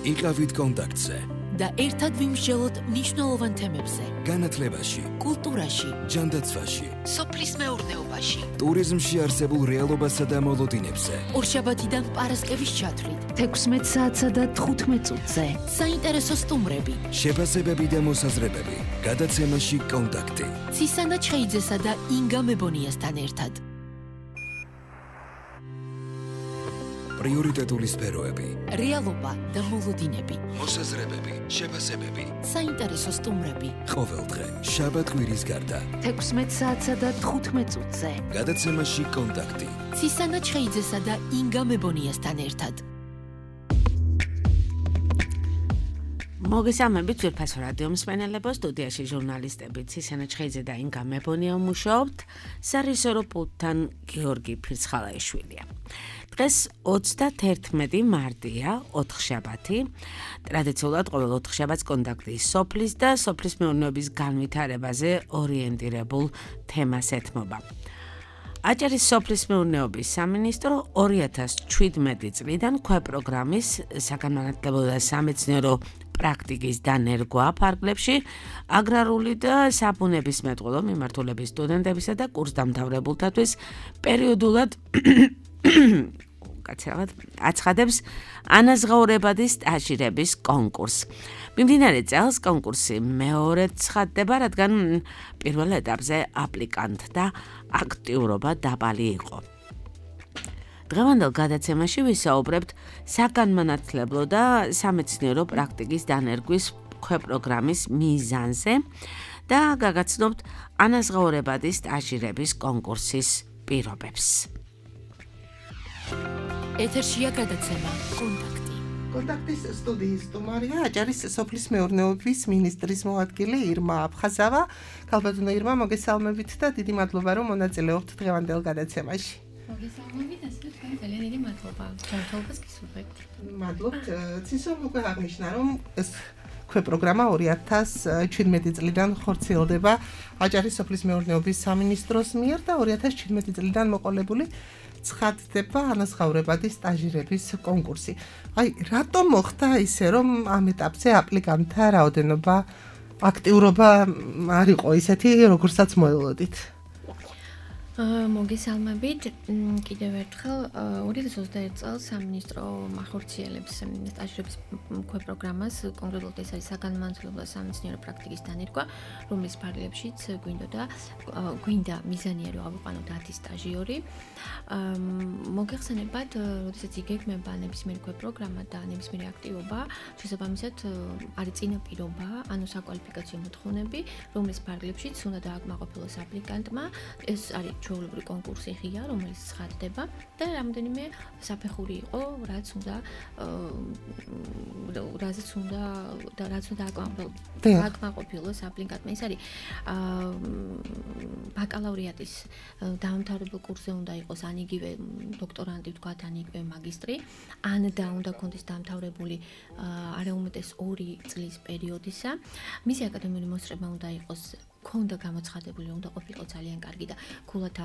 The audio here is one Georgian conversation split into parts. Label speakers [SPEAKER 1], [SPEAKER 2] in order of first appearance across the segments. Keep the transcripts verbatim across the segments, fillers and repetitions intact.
[SPEAKER 1] იყავით კონტაქტზე
[SPEAKER 2] და ერთად ვიმსჯელოთ მნიშვნელოვან თემებზე.
[SPEAKER 1] განათლებაში,
[SPEAKER 2] კულტურაში,
[SPEAKER 1] ჯანდაცვაში,
[SPEAKER 2] სოფლის მეურნეობაში,
[SPEAKER 1] ტურიზმში არსებულ რეალობასა და მოლოდინებზე.
[SPEAKER 2] ორშაბათიდან პარასკევის ჩათვლით, თექვსმეტ საათსა და თხუთმეტ წუთზე. საინტერესო სტუმრები,
[SPEAKER 1] შეფასებები და მოსაზრებები. გადაცემაში კონტაქტი.
[SPEAKER 2] ცისანა ჩხეიძესა და ინგა მებონიასთან ერთად.
[SPEAKER 1] პრიორიტეტული სფეროები,
[SPEAKER 2] რეალობა და მოლოდინები,
[SPEAKER 1] მოსაზრებები, შეფასებები,
[SPEAKER 2] საინტერესო სტუმრები.
[SPEAKER 1] ყოველდღე, შაბათ-კვირის გარდა.
[SPEAKER 2] თექვსმეტ საათსა და თხუთმეტ წუთზე.
[SPEAKER 1] გადაცემაში კონტაქტი.
[SPEAKER 2] ცისანა ჩხეიძესა და ინგა მებონიასთან ერთად.
[SPEAKER 3] მოგესალმებით ძვირფასო რადიო მსმენელებო, სტუდიაში ჟურნალისტები ცისანა ჩხეიძე და ინგა მებონია მუშაობთ, სარისორო პულტთან გიორგი ფირცხალაიშვილია. დღეს ოცდათერთმეტი მარტია, ოთხშაბათი. ტრადიციულად ყოველ ოთხშაბათს კონტაქტი სოფლის და სოფლის მეურნეობის განვითარებაზე ორიენტირებულ თემას ეთმობა. აჭარის სოფლის მეურნეობის სამინისტრო ორი ათას ჩვიდმეტი წლიდან ქვეპროგრამის საგანმანათლებლო და სამეცნიერო პრაქტიკის დანერგვა ფარგლებში აგრარული და საბუნებისმეტყველო მიმართულების სტუდენტებისა და კურსდამთავრებულთათვის პერიოდულად კაცრავად აცხადებს ანაზღაურებადი სტაჟირების კონკურსს. მიმდინარე წელს კონკურსი მეორედ ცხადდება, რადგან პირველ ეტაპზე აპლიკანტთა აქტიურობა დაბალი იყო. დღევანდელ გადაცემაში ვისაუბრებთ საგანმანათლებლო და სამეცნიერო პრაქტიკის დანერგვის ქვეპროგრამის მიზანზე და გაგაცნობთ ანაზღაურებადი სტაჟირების კონკურსის პირობებს.
[SPEAKER 2] ეთერშია გადაცემა კონტაქტი.
[SPEAKER 4] კონტაქტის სტუდიის სტუმარია აჭარის სოფლის მეურნეობის მინისტრის მოადგილე ირმა აფხაზავა. ქალბატონო ირმა, მოგესალმებით და დიდი მადლობა, რომ მონაწილეობთ დღევანდელ გადაცემაში.
[SPEAKER 5] მოგესალმებით, ასე თქვენ ძალიან დიდი მადლობა. ჯანმრთელობას გისურვებთ.
[SPEAKER 4] მადლობთ. ცისო უკვე აღნიშნა, რომ ეს ქვეპროგრამა ორი ათას ჩვიდმეტი წლიდან ხორციელდება აჭარის სოფლის მეურნეობის სამინისტროს მიერ და ორი ათას ჩვიდმეტი წლიდან მოყოლებული ცხადდება ანაზღაურებადი სტაჟირების კონკურსი. აი, რატომ მოხდა ისე, რომ ამ ეტაპზე აპლიკანტთა რაოდენობა, აქტიურობა არ იყო ისეთი, როგორცაც მოელოდით?
[SPEAKER 5] მოგესალმებით. კიდევ ერთხელ ორი ათას ოცდაერთი წელს სამინისტრო ახორციელებს სტაჟირების ქვეპროგრამას, კონკრეტულად ეს არის საგანმანათლებლო და სამეცნიერო პრაქტიკის დანერგვა, რომლის ფარგლებშიც გვინდოდა გვინდა მიზანია რომ ავიყვანოთ ათი სტაჟიორი. მოგეხსენებათ, როდესაც იგეგმება ნებისმიერი ქვეპროგრამა და ნებისმიერი აქტივობა, შესაბამისად არის წინაპირობა, ანუ საკვალიფიკაციო მოთხოვნები, რომლის ფარგლებშიც უნდა დააკმაყოფილოს აპლიკანტმა. ეს არის ჩვეულებრივი კონკურსი ღია, რომელიც ცხადდება და რამდენიმე საფეხური იყო, რაც უნდა რაზეც უნდა და რაც უნდა დააკმაყოფილოს აპლიკანტმა. ეს არის ბაკალავრიატის დაამთავრებელ კურსზე უნდა იყოს ან იგივე დოქტორანტი, ვთქვათ, ან იგივე მაგისტრი, ან და უნდა კონდეს დაამთავრებული არაუმეტეს ორი წლის პერიოდისა. მისი აკადემიური მოსწრება უნდა იყოს ქონდა გამოცხადებული, უნდა ყოფილიყო ძალიან კარგი და ქულათა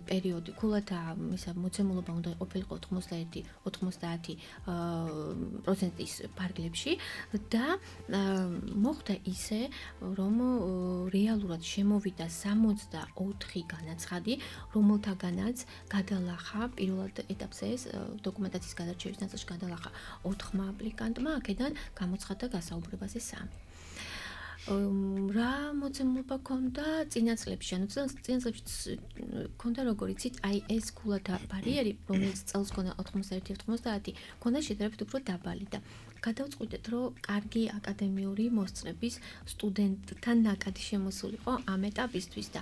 [SPEAKER 5] პერიოდი, ქულათა ისა მოცემულობა უნდა ყოფილიყო ოთხმოცდაერთი ოცდაათი პროცენტის ფარგლებში და მოხდა ისე, რომ რეალურად შემოვიდა სამოცდაოთხი განაცხადი, რომელთაგანაც გადალახა პირველ ეტაპზე ეს დოკუმენტაციის გადარჩევის ნაწილში გადალახა ოთხმა აპლიკანტმა, აქედან გამოცხადდა გასაუბრებაზე სამი. რა მოცემულობა ქონდა წინა წლებში, ანუ წინა წლებში ქონდა როგორ იცით, აი ეს ქულათა ბარიერი, რომელიც წელს ქონდა ოთხმოცდაერთი ოცდაათი, ქონდა შედარებით უფრო დაბალი და გადავწყვიტეთ, რომ კარგი აკადემიური მოსწრების სტუდენტთან ნაკადი შემოსულიყო ამ ეტაპისთვის და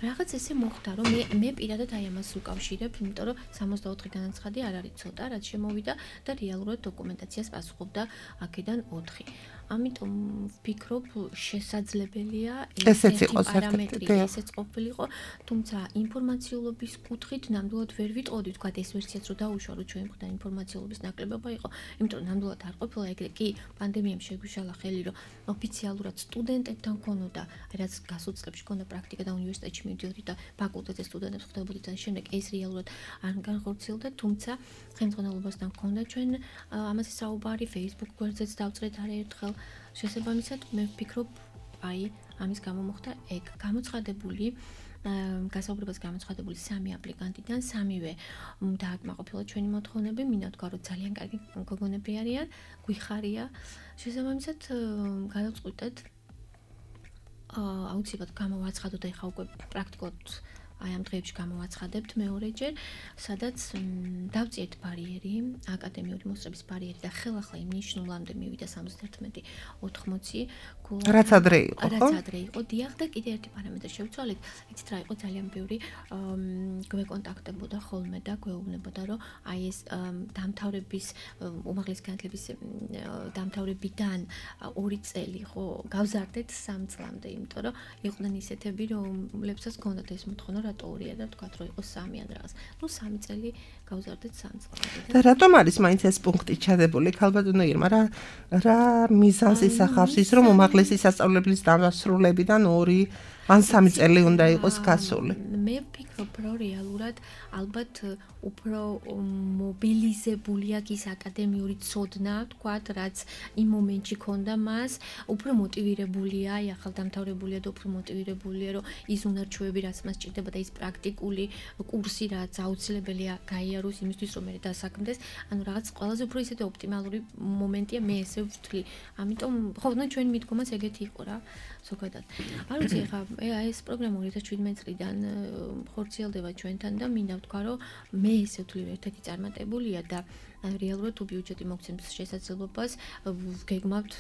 [SPEAKER 5] რაღაც ესე მოხდა, რომ მე მე პირადად აი ამას უკავშირებ, იმიტომ რომ სამოცდაოთხი განაცხადი არ არის ცოტა, რაც შემოვიდა და რეალურად დოკუმენტაციას პასუხობდა აქედან ოთხი. ამიტომ ვფიქრობ, შესაძლებელია
[SPEAKER 4] ესეთი
[SPEAKER 5] პარამეტრი ესეც ყოფილიყო, თუმცა ინფორმაციულობის კუთხით ნამდვილად ვერ ვიტყოდი, თქვა ეს ვერსიაც რომ დაუშვა, რომ ჩვენ მხრიდან ინფორმაციულობის ნაკლებობა იყო, იმიტომ რომ ნამდვილად არ ყოფილა ეგრე კი პანდემიამ შეგვიშალა ხელი, რომ ოფიციალურად სტუდენტებთან ქონოდა, რაც გასულ წლებში ქონდა პრაქტიკა და უნივერსიტეტში მივდიოდი და ფაკულტეტზე სტუდენტებს ხვდებოდი და შემდეგ ეს რეალურად არ განხორციელდა, თუმცა ხელმძღვანელობასთან ქონდა ჩვენ ამაზე საუბარი, Facebook გვერდზეც დავწერეთ არაერთხელ. შესაბამისად, მე ვფიქრობ, აი, ამის გამო მოხდა ეგ გამოცხადებული გასაუბრებას გამოცხადებული სამი აპლიკანტიდან სამივე დააკმაყოფილა ჩვენი მოთხოვნები, მინდა თქვა, რომ ძალიან კარგი გოგონები არიან, გვიხარია. შესაბამისად, გადავწყვიტეთ აუცილებლად გამოვაცხადოთ და ეხა უკვე პრაქტიკულად აი ამ დღეებში გამოვაცხადებთ მეორეჯერ, სადაც დავწიეთ ბარიერი, აკადემიური მოსწრების ბარიერი და ხელახლა იმ ნიშნულამდე მივიდა სამოცდაერთმეტი ოცდაოთხი გულა.
[SPEAKER 4] რაც ადრე იყო, ხო?
[SPEAKER 5] რაც ადრე იყო, დიახ და კიდე ერთი პარამეტრი შევცვალეთ. იცით რა იყო ძალიან ბევრი გვეკონტაქტებოდა ხოლმე და გვეუბნებოდა, რომ აი ეს დამთავრების უმაღლესი განათლების დამთავრებიდან ორი წელი ხო გავზარდეთ სამ წლამდე, იმიტომ რომ იყვნენ ისეთები, რომლებსაც ჰქონდათ ეს მოთხოვნა რატო ორია და თქვათ რომ იყოს სამი ან რაღაც. ნუ სამი წელი გავზარდეთ სამ წლამდე.
[SPEAKER 4] და რატომ არის მაინც ეს პუნქტი ჩადებული ქალბატონო ირმა? რა რა მიზანს ისახავს ის რომ უმაღლესი სასწავლებლის დამასრულებიდან ორი ან სამი წელი უნდა იყოს გასული?
[SPEAKER 5] მე ვფიქრობ, რომ რეალურად ალბათ უფრო მობილიზებული აქვს ის აკადემიური ცოდნა, თქვათ, რაც იმ მომენტში ქონდა მას, უფრო მოტივირებულია, აი ახალ დამთავრებულია და უფრო მოტივირებულია, რომ ის უნარჩვევები, რაც მას ჭირდება და ის პრაქტიკული კურსი, რაც აუცილებელია გაიაროს იმისთვის, რომ მე დასაქმდეს, ანუ რაღაც ყველაზე უფრო ისეთი ოპტიმალური მომენტია, მე ესე ვთვლი. ამიტომ ხო, ნუ ჩვენი მიდგომაც ეგეთი იყო რა. ზოგადად. არ ვიცი, ხა, ეს პროგრამა ორი ათას შვიდმეტი წლიდან ხორციელდება ჩვენთან და მინდა ვთქვა, რომ მე ესე ვთვლი ერთ-ერთი წარმატებულია და რეალურად თუ ბიუჯეტი მოგცემს შესაძლებლობას, გეგმავთ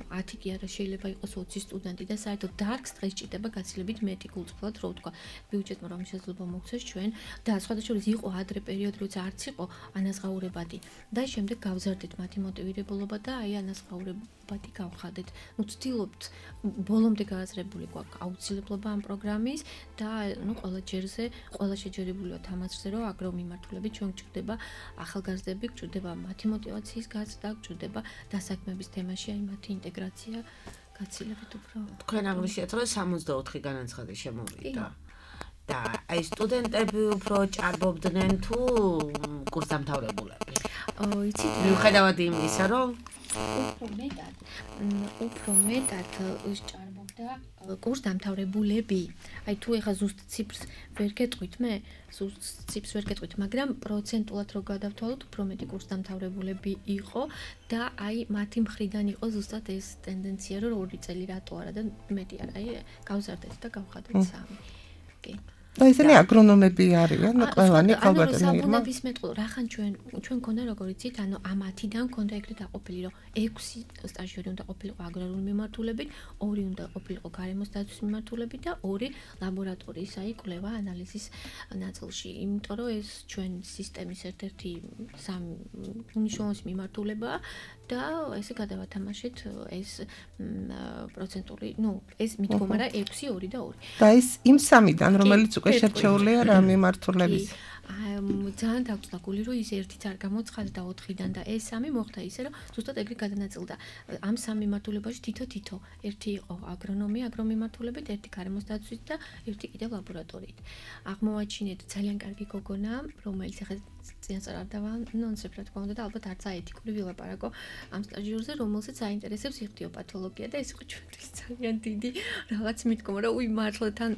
[SPEAKER 5] ათი კი არა შეიძლება იყოს ოცი სტუდენტი და საერთოდ დარგს დღეს ჭირდება გაცილებით მეტი გულწრფელად, რო ვთქვა, ბიუჯეტმა რომ შესაძლებლობა მოგცეს ჩვენ და სხვადასხვა იყო ადრე პერიოდი, როცა არც იყო ანაზღაურებადი და შემდეგ გავზარდეთ მათი მოტივირებულობა და აი ანაზღაურებადი გავხადეთ. ნუ ვცდილობთ ბოლომდე გააზრებული გვაქვს აუცილებლობა ამ პროგრამის და ნუ ყველა ჯერზე, ყველა შეჯერებული ვართ ამაზე, რომ აგრო მიმართულებით ჩვენ გვჭირდება ახალგაზრდები, გვჭირდება მათი მოტივაციის გაზრდა, გვჭირდება დასაქმების თემაში აი მათი ინტეგრაცია გაცილებით უფრო.
[SPEAKER 3] თქვენ აღნიშნეთ, რომ სამოცდაოთხი განაცხადი შემოვიდა. და აი სტუდენტები უფრო ჭარბობდნენ თუ კურსდამთავრებულები?
[SPEAKER 5] იცით,
[SPEAKER 3] მიუხედავად იმისა, რომ
[SPEAKER 5] უფრო მეტად, უფრო მეტად ჭარბობდა კურსდამთავრებულები. აი თუ ეხა ზუსტ ციფრს ვერ გეტყვით მე, ზუსტ ციფრს ვერ გეტყვით, მაგრამ პროცენტულად რო გადავთვალოთ, უფრო მეტი კურსდამთავრებულები იყო და აი მათი მხრიდან იყო ზუსტად ეს ტენდენცია, რომ ორი წელი რატო არა და მეტი არა, აი გავზარდეთ და გავხადეთ სამი. კი.
[SPEAKER 4] და ისინი აგრონომები არიან, ყველანი ქალბატონი
[SPEAKER 5] ირმა. ანუ საბუნების მეტყველო, რახან ჩვენ ჩვენ ქონდა როგორ იცით, ანუ ამ ათიდან ქონდა ეგრეთ დაყოფილი, რომ ექვსი სტაჟიორი უნდა ყოფილიყო აგრარული მიმართულებით, ორი უნდა ყოფილიყო გარემოს დაცვის მიმართულებით და ორი ლაბორატორიის, აი კვლევა ანალიზის ნაწილში. იმიტომ რომ ეს ჩვენ სისტემის ერთ-ერთი სამი უნიშნულოვანი მიმართულებაა და ესე გადავათამაშეთ ეს პროცენტული, ნუ ეს მიდგომა რა ექვსი, ორი და ორი.
[SPEAKER 4] და ეს იმ სამიდან, რომელიც უკვე შერჩეულია რა მიმართულების.
[SPEAKER 5] ძალიან დაგვწდა გული, რომ ის ერთიც არ გამოცხადდა და ოთხიდან და ეს სამი მოხდა ისე, რომ ზუსტად ეგრე გადანაწილდა. ამ სამ მიმართულებაში თითო-თითო, ერთი იყო აგრონომია, აგრომიმართულებით, ერთი გარემოს დაცვით და ერთი კიდევ ლაბორატორიით. აღმოვაჩინეთ ძალიან კარგი გოგონა, რომელიც ახლა წინასწარ არ დავანონსებ, რა თქმა უნდა და ალბათ არც აეთიკური ვილაპარაკო ამ სტაჟიორზე, რომელსაც აინტერესებს იხტიოპათოლოგია და ეს იყო ჩვენთვის ძალიან დიდი რაღაც მიდგომა, რომ უი მართლა თან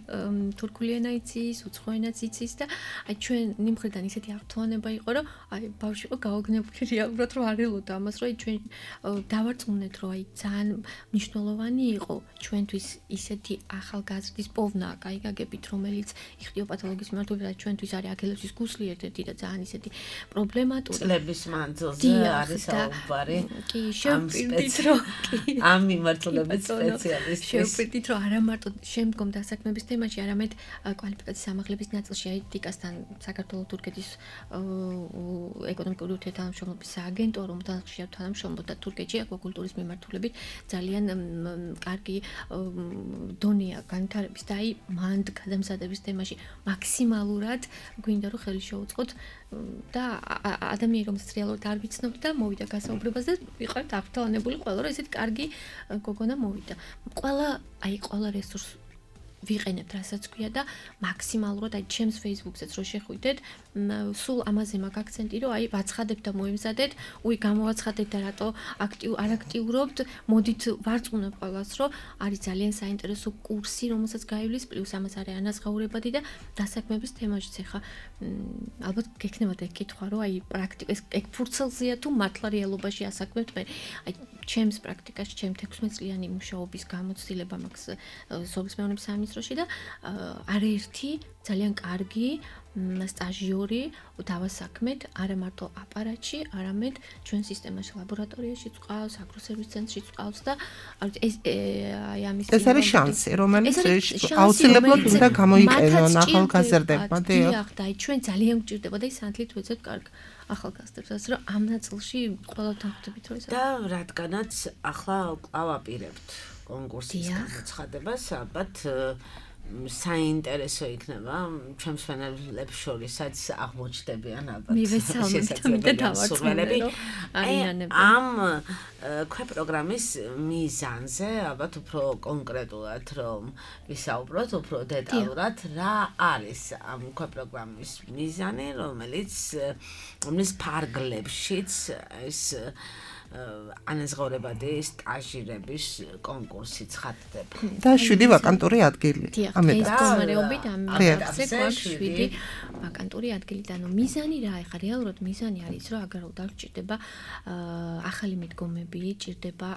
[SPEAKER 5] თურქული ენა იცის, უცხო ენაც იცის და აი ჩვენ ნიმხრიდან ისეთი აღთვალება იყო, რომ აი ბავშვი იყო გაოგნებული რეალურად, რომ არ ელოდა ამას, რომ აი ჩვენ დავარწმუნეთ, რომ აი ძალიან მნიშვნელოვანი იყო ჩვენთვის ისეთი ახალგაზრდის პოვნა, კაი გაგებით, რომელიც იხტიოპათოლოგიის მიმართულებით ჩვენთვის არის აქელევსის გუსლი ერთ-ერთი და ძალიან ისეთი პრობლემატური
[SPEAKER 3] წლების მანძილზე არის საუბარი.
[SPEAKER 5] კი, შევფრთხილდით რომ კი
[SPEAKER 3] ამ მიმართულებით სპეციალისტი.
[SPEAKER 5] შევფრთხილდით რომ არა მარტო შემდგომ დასაქმების თემაში, არამედ კვალიფიკაციის ამაღლების ნაწილში აი დიკასთან საქართველოს თურქეთის ეკონომიკური ურთიერთთანამშრომლობის სააგენტო, რომელთან ხშირად თანამშრომლობ და თურქეთში აკვაკულტურის მიმართულებით ძალიან კარგი დონეა განვითარების და აი მანდ გადამზადების თემაში მაქსიმალურად გვინდა რომ ხელი შეუწყოთ და ადამიანი რომელსაც რეალურად არ ვიცნობთ და მოვიდა გასაუბრებას და ვიყავით აღფრთოვანებული ყველა რომ ესეთ კარგი გოგონა მოვიდა. ყველა აი ყველა რესურს ვიყენებთ რასაც ქვია და მაქსიმალურად აი ჩემს Facebook-საც რო შეხვიდეთ, სულ ამაზე მაქვს აქცენტი რომ აი ვაცხადებთ და მოემზადეთ, უი გამოვაცხადეთ და რატო აქტიურ არ აქტიურობთ, მოდით ვარწმუნებ ყველას რომ არის ძალიან საინტერესო კურსი, რომელსაც გაივლის, პლუს ამას არის ანაზღაურებადი და დასაქმების თემაშიც ახლა ალბათ გექნებათ ეგ კითხვა რომ აი პრაქტიკა ეგ ფურცელზეა თუ მართლა რეალობაში ასაქმებთ მე აი ჩემს პრაქტიკაში ჩემ თექვსმეტ წლიანი მუშაობის გამოცდილება მაქვს სოფლის მეურნეობის სამინისტროში და არაერთი ძალიან კარგი სტაჟიორი დავასაქმეთ არა მარტო აპარატში, არამედ ჩვენ სისტემაში ლაბორატორიაში წყავს, აგროსერვის ცენტრში წყავს და ეს აი ამის
[SPEAKER 4] ეს არის შანსი, რომელიც აუცილებლად უნდა გამოიყენონ ახალგაზრდებმა.
[SPEAKER 5] დიახ, და აი ჩვენ ძალიან გვჭირდება და ის სანთლით ვეცებთ კარგ ახალგაზრდებსაც, რომ ამ ნაწილში ყველაფერთან ხვდებით რომ ეს
[SPEAKER 3] და რადგანაც ახლა ყავაპირებთ კონკურსის გამოცხადებას, ალბათ საინტერესო იქნება ჩემს ფენელებს შორისაც აღმოჩნდებიან ალბათ
[SPEAKER 5] შესაძლებელი
[SPEAKER 3] ამ ქვეპროგრამის მიზანზე ალბათ უფრო კონკრეტულად რომ ვისაუბროთ უფრო დეტალურად რა არის ამ ქვეპროგრამის მიზანი რომელიც რომლის ფარგლებშიც ეს ანაზღაურებადი სტაჟირების კონკურსი ცხადდება.
[SPEAKER 4] და შვიდი ვაკანტური ადგილი.
[SPEAKER 5] ამეთ მდგომარეობით ამ ფაქტზე გვაქვს შვიდი ვაკანტური ადგილი და ანუ მიზანი რა ეხა რეალურად მიზანი არის რომ აგრარულად არ ჭირდება ახალი მიდგომები, ჭირდება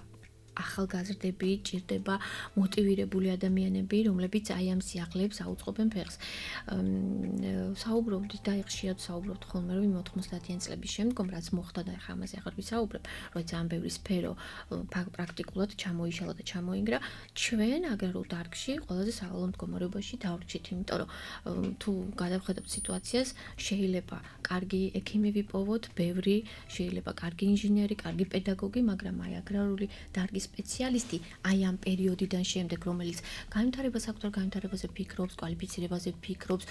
[SPEAKER 5] ახალგაზრდები, ჭირდება მოტივირებული ადამიანები, რომლებიც აი ამ სიახლეებს აუწყობენ ფეხს. საუბრობთ და ხშირად საუბრობთ ხოლმე რომ ოთხმოცდაათიანი წლების შემდგომ რაც მოხდა და ახლა ამაზე ახლა ვისაუბრებ, რომ ძალიან ბევრი სფერო პრაქტიკულად ჩამოიშალა და ჩამოინგრა, ჩვენ აგრარულ დარგში ყველაზე სავალალო მდგომარეობაში დავრჩით, იმიტომ რომ თუ გადავხედოთ სიტუაციას, შეიძლება კარგი ექიმი ვიპოვოთ, ბევრი, შეიძლება კარგი ინჟინერი, კარგი პედაგოგი, მაგრამ აი აგრარული დარგის სპეციალისტი აი ამ პერიოდიდან შემდეგ რომელიც განვითარებას აქვს და განვითარებაზე ფიქრობს, კვალიფიცირებაზე ფიქრობს,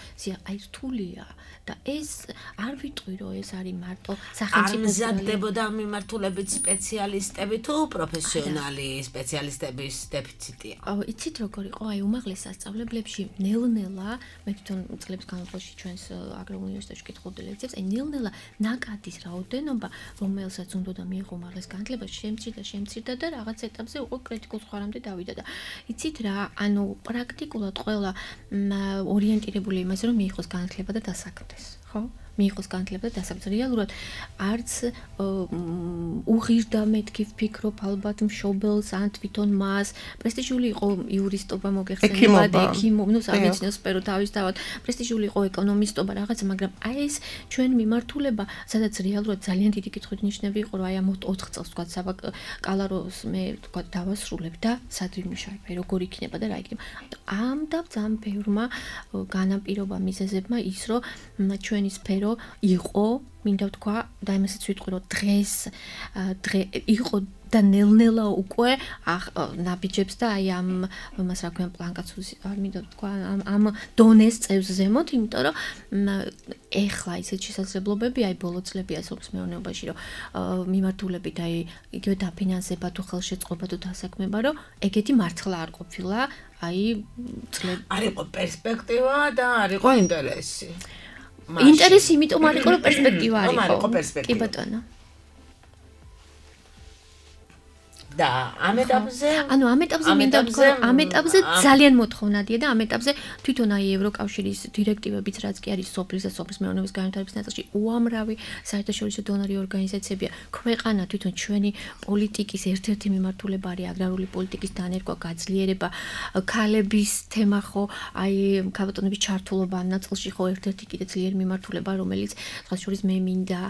[SPEAKER 5] აი რთულია და ეს არ ვიტყვი რომ ეს არის მარტო სახელმწიფო
[SPEAKER 3] ამზადდებოდა მიმართულებით სპეციალისტები თუ პროფესიონალი სპეციალისტების დეფიციტია.
[SPEAKER 5] იცით როგორ იყო აი უმაღლეს სასწავლებლებში ნელ-ნელა მე თვითონ წლების განმავლობაში ჩვენს აგრარულ უნივერსიტეტში კითხულობდი ლექციებს, აი ნელ-ნელა ნაკადის რაოდენობა რომელსაც უნდა და მიიღო უმაღლეს განათლება შემცირდა შემცირდა და რაღაც ეტაპზე უკვე კრიტიკულ ზღვარამდე დავიდა და იცით რა, ანუ პრაქტიკულად ყველა ორიენტირებული იმაზე რომ მიიღოს განათლება და დასაქმდეს, ხო? მიიღოს განათლება და დასაქმდეს. რეალურად არც უღირდა მეთქი ვფიქრობ ალბათ მშობელს ან თვითონ მას. პრესტიჟული იყო იურისტობა მოგეხსენებათ, ექიმობა, ნუ სამეცნიერო სფერო თავისთავად, პრესტიჟული იყო ეკონომისტობა რაღაცა, მაგრამ აი ეს ჩვენ მიმართულება, სადაც რეალურად ძალიან დიდი კითხვით ნიშნები იყო, რომ აი ამ ოთხ წელს თქვა კალაროს მე თქვა დავასრულებ და სად ვიმუშავებ, როგორ იქნება და რა იქნება. ამ და ძალიან ბევრმა განაპირობა მიზეზებმა ის, რომ ჩვენი სფერო იყო, მინდა ვთქვა და იმასაც ვიტყვი, რომ დღეს დღე იყო და ნელ-ნელა უკვე ნაბიჯებს და აი ამ მას რა ქვია პლანკაცუს არ მინდა ვთქვა ამ ამ დონეს წევს ზემოთ, იმიტომ რომ ეხლა ისეთ შესაძლებლობები აი ბოლო წლებია სოფლის მეურნეობაში რომ მიმართულებით აი იგივე დაფინანსება თუ ხელშეწყობა თუ დასაქმება რომ ეგეთი მართლა არ ყოფილა აი წლები
[SPEAKER 3] არ იყო პერსპექტივა და არ იყო ინტერესი.
[SPEAKER 5] ინტერესი იმიტომ არ იყო რომ პერსპექტივა არ იყო. კი ბატონო.
[SPEAKER 3] და ამ ეტაპზე
[SPEAKER 5] ანუ ამ ეტაპზე მინდა ვთქვა რომ ამ ეტაპზე ძალიან მოთხოვნადია და ამ ეტაპზე თვითონ აი ევროკავშირის დირექტივებიც რაც კი არის სოფლის და სოფლის მეურნეობის განვითარების ნაწილში უამრავი საერთაშორისო დონორი ორგანიზაციებია ქვეყანა თვითონ ჩვენი პოლიტიკის ერთ-ერთი მიმართულება არის აგრარული პოლიტიკის დანერგვა გაძლიერება ქალების თემა ხო აი ქალბატონების ჩართულობა ამ ნაწილში ხო ერთ-ერთი კიდე ძლიერი მიმართულება რომელიც სხვა შორის მე მინდა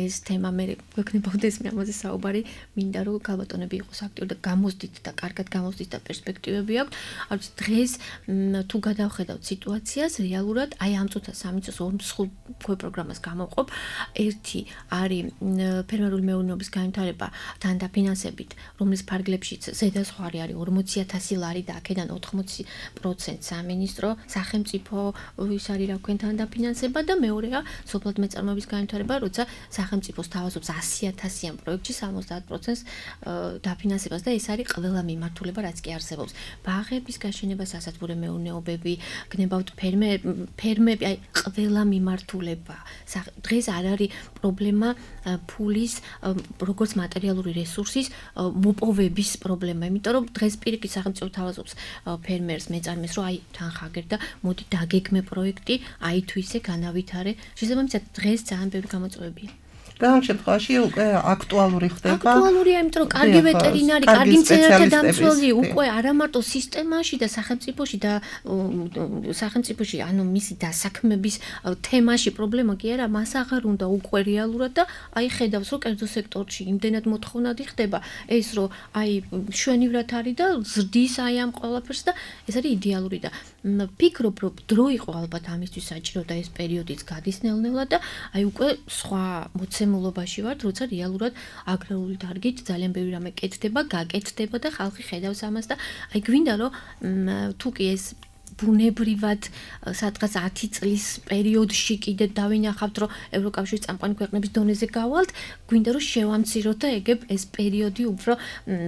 [SPEAKER 5] ეს თემა მე გვექნებოდეს მე ამაზე საუბარი მინდა რომ ქალბატონები იყოს აქტიური და გამოსდით და კარგად გამოსდით და პერსპექტივები აქვს. არ ვიცი დღეს თუ გადავხედავთ სიტუაციას რეალურად აი ამ წუთას სამი წუთს ორ მსხვილ პროგრამას გამოვყოფ. ერთი არის ფერმერული მეურნეობის განვითარება თან დაფინანსებით, რომლის ფარგლებშიც ზედაზღვარი არის ორმოცი ათასი ლარი და აქედან ოთხმოცი პროცენტი სამინისტრო სახელმწიფო ის არის რა ქვენ თან დაფინანსება და მეორეა სოფლად მეწარმოების განვითარება, როცა სახელმწიფო სთავაზობს ასი ათასიან პროექტში სამოცდაათ პროცენტს დაფინანსებას და ეს არის ყველა მიმართულება რაც კი არსებობს. ბაღების გაშენება, სასათბურე მეურნეობები, გნებავთ ფერმები, აი ყველა მიმართულება. დღეს არ არის პრობლემა ფულის როგორც მატერიალური რესურსის მოპოვების პრობლემა, იმიტომ რომ დღეს პირიქით სახელმწიფო თავაზობს ფერმერს, მეწარმეს, რომ აი თან ხაგერ და მოდი დაგეგმე პროექტი, აი თუ ისე განავითარე. შესაბამისად დღეს ძალიან ბევრი გამოწვევებია.
[SPEAKER 4] და ამ შემთხვევაში უკვე აქტუალური ხდება.
[SPEAKER 5] აქტუალურია, იმიტომ რომ კარგი ვეტერინარი, კარგი მცენარეთა დამცველი უკვე არა მარტო სისტემაში და სახელმწიფოში და სახელმწიფოში, ანუ მისი დასაქმების თემაში პრობლემა კი არა, მას აღარ უნდა უკვე რეალურად და აი ხედავს რომ კერძო სექტორში იმდენად მოთხოვნადი ხდება ეს რომ აი შვენივრად არის და ზრდის აი ამ ყველაფერს და ეს არის იდეალური და ფიქრობ რომ დრო იყო ალბათ ამისთვის საჭირო და ეს პერიოდიც გადის ნელ-ნელა და აი უკვე სხვა მოცემულობაში ვართ, როცა რეალურად აგრარული დარგით ძალიან ბევრი რამე კეთდება, გაკეთდება და ხალხი ხედავს ამას და აი გვინდა რომ თუ კი ეს ბუნებრივად სადღაც ათი წლის პერიოდში კიდე დავინახავთ რომ ევროკავშირის წამყვანი ქვეყნების დონეზე გავალთ, გვინდა რომ შევამციროთ და ეგებ ეს პერიოდი უფრო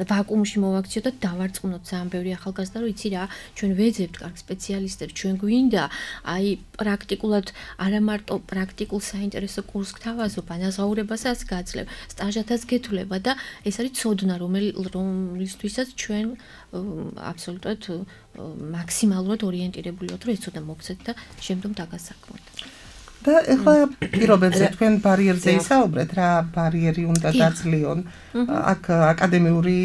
[SPEAKER 5] ვაკუუმში მოვაქციოთ და დავარწმუნოთ ძალიან ბევრი ახალგაზრდა რომ იცი რა, ჩვენ ვეძებთ კარგ სპეციალისტებს, ჩვენ გვინდა აი პრაქტიკულად არა მარტო პრაქტიკულ საინტერესო კურსს გთავაზობ, ანაზღაურებასაც გაძლევ, სტაჟათაც გეთვლება და ეს არის ცოდნა რომლისთვისაც ჩვენ აბსოლუტურად მაქსიმალურად ორიენტირებული ვართ, რომ ეს ცოდნა მოგცეთ და შემდგომ დაგასაქმოთ.
[SPEAKER 4] და ეხლა პირობებზე თქვენ ბარიერზე ისაუბრეთ, რა ბარიერი უნდა დაძლიონ აქ აკადემიური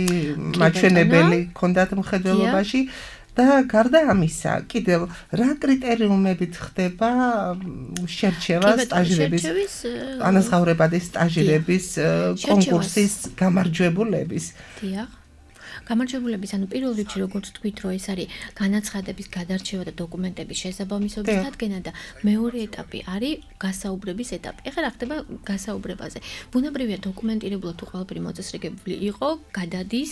[SPEAKER 4] მაჩვენებელი ქონდათ მხედველობაში და გარდა ამისა, კიდევ რა კრიტერიუმებით ხდება შერჩევა სტაჟირების ანაზღაურებადი სტაჟირების კონკურსის გამარჯვებულების?
[SPEAKER 5] დიახ. გამარჯვებულების, ანუ პირველ რიგში როგორც თქვით, რომ ეს არის განაცხადების გადარჩევა და დოკუმენტების შესაბამისობის დადგენა და მეორე ეტაპი არის გასაუბრების ეტაპი. ეხლა რა ხდება გასაუბრებაზე? ბუნებრივია დოკუმენტირებულად თუ ყველაფერი მოწესრიგებული იყო, გადადის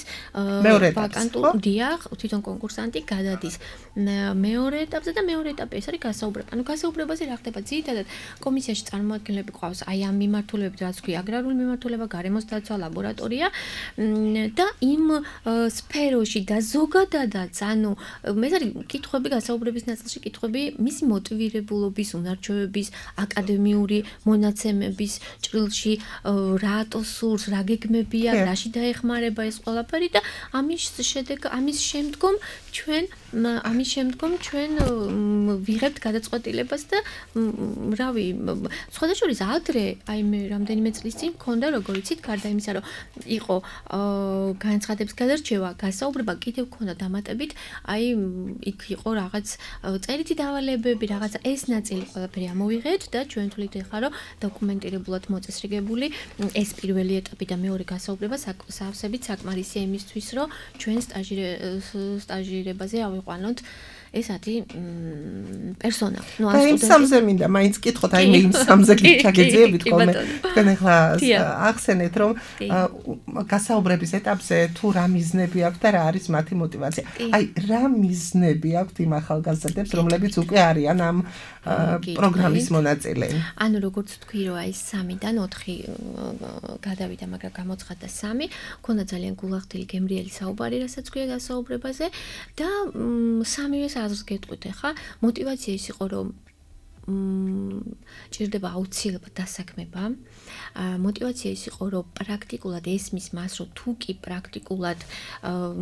[SPEAKER 5] ვაკანტურ დიახ, თვითონ კონკურსანტი გადადის მეორე ეტაპზე და მეორე ეტაპი ეს არის გასაუბრება. ანუ გასაუბრებაზე რა ხდება? ძირითადად კომისიაში წარმოადგენლები ყავს აი ამ მიმართულებებით, რაც ქვია აგრარული მიმართულება, გარემოს დაცვა, ლაბორატორია და იმ სფეროში და ზოგადადაც, ანუ ეს არის კითხვები გასაუბრების ნაწილში, კითხვები მისი მოტივირებულობის, უნარჩვევების, აკადემიური მონაცემების ჭრილში, რატო სურს, რა გეგმებია, რაში დაეხმარება ეს ყველაფერი და ამის შედეგ, ამის შემდგომ ჩვენ ამის შემდგომ ჩვენ ვიღებთ გადაწყვეტილებას და რავი, სხვათა შორის ადრე, აი მე რამდენიმე წლის წინ მქონდა როგორ იცით, გარდა იმისა, რომ იყო განაცხადების გადარჩევა, გასაუბრება კიდევ მქონდა დამატებით, აი იქ იყო რაღაც წერითი დავალებები, რაღაცა ეს ნაწილი ყველაფერი ამოვიღეთ და ჩვენ თვლით ეხლა რომ დოკუმენტირებულად მოწესრიგებული ეს პირველი ეტაპი და მეორე გასაუბრება სავსებით საკმარისია იმისთვის, რომ ჩვენ სტაჟირებაზე ავიყვანოთ ეს არის პერსონა. ნუ
[SPEAKER 4] ან სტუდენტი. და იმ სამზე მინდა მაინც კითხოთ, აი მე იმ სამზე გიჩაგეძიებით ხოლმე. თქვენ ახლა ახსენეთ, რომ გასაუბრების ეტაპზე თუ რა მიზნები აქვს და რა არის მათი мотиваცია. აი რა მიზნები აქვს იმ ახალგაზრდებს, რომლებიც უკვე არიან ამ პროგრამის მონაწილე?
[SPEAKER 5] ანუ როგორც თქვი, რომ აი სამიდან ოთხი გადავიდა, მაგრამ გამოცხადდა სამი, მქონდა ძალიან გულახდილი გემრიელი საუბარი, რასაც ქვია გასაუბრებაზე და სამივე აზრს გეტყვით ახლა. мотиваცია ის იყო, რომ ჭირდება აუცილებლად დასაქმება. მოტივაცია ის იყო, რომ პრაქტიკულად ესმის მას, რომ თუ კი პრაქტიკულად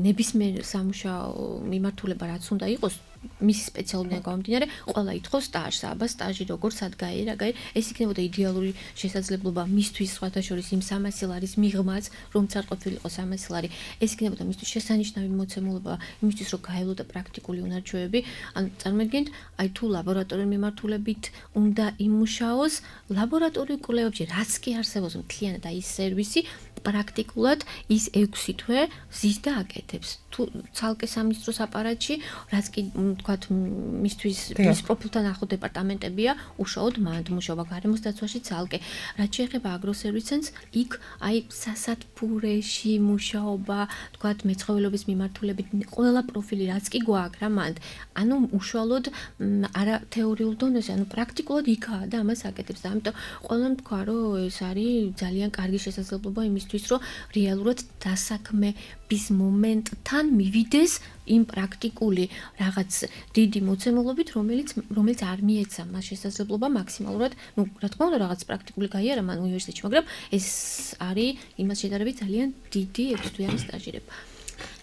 [SPEAKER 5] ნებისმიერ სამუშაო მიმართულება რაც უნდა იყოს, მისი სპეციალობიდან გამომდინარე, ყველა ითხოვს სტაჟს, აბა სტაჟი როგორ სად გაიე, რა გაიე, ეს იქნებოდა იდეალური შესაძლებლობა მისთვის, სხვათა შორის იმ სამასილარის მიღმაც, რომც არ ყოფილიყო სამასილარი. ეს იქნებოდა მისთვის შესანიშნავი მოცემულობა, იმისთვის რომ გაევლოდა პრაქტიკული უნარჩვევები. ან წარმოიდგინეთ, აი თუ ლაბორატორიული მიმართულებით უნდა იმუშაოს, ლაბორატორიულ კვლევებში რაც კი არსებობს მთლიანად აი ეს სერვისი პრაქტიკულად ის ექვსი თვე ზის და აკეთებს. თუ ცალკე სამინისტროს აპარატში, რაც კი თქვათ მისთვის მის პროფილთან ახლო დეპარტამენტებია, უშუალოდ მანდ მუშაობა გარემოს დაცვაში ცალკე. რაც შეეხება აგროსერვისს, იქ აი სასათბურეში მუშაობა, თქვათ მეცხოველობის მიმართულებით ყველა პროფილი რაც კი გვაქვს რა მანდ. ანუ უშუალოდ არა თეორიულ დონეზე, ანუ პრაქტიკულად იქაა და ამას აკეთებს. და ამიტომ ყველამ თქვა, რომ ეს არის ძალიან კარგი შესაძლებლობა იმისთვის, რომ რეალურად დასაქმების მომენტთან მივიდეს იმ პრაქტიკული რაღაც დიდი მოცემულობით, რომელიც რომელიც არ მიეცა მას შესაძლებლობა მაქსიმალურად, ну, რა თქმა უნდა, რაღაც პრაქტიკული გაიარა მან უნივერსიტეტში, მაგრამ ეს არის იმას შედარებით ძალიან დიდი ექვსთვიანი სტაჟირება.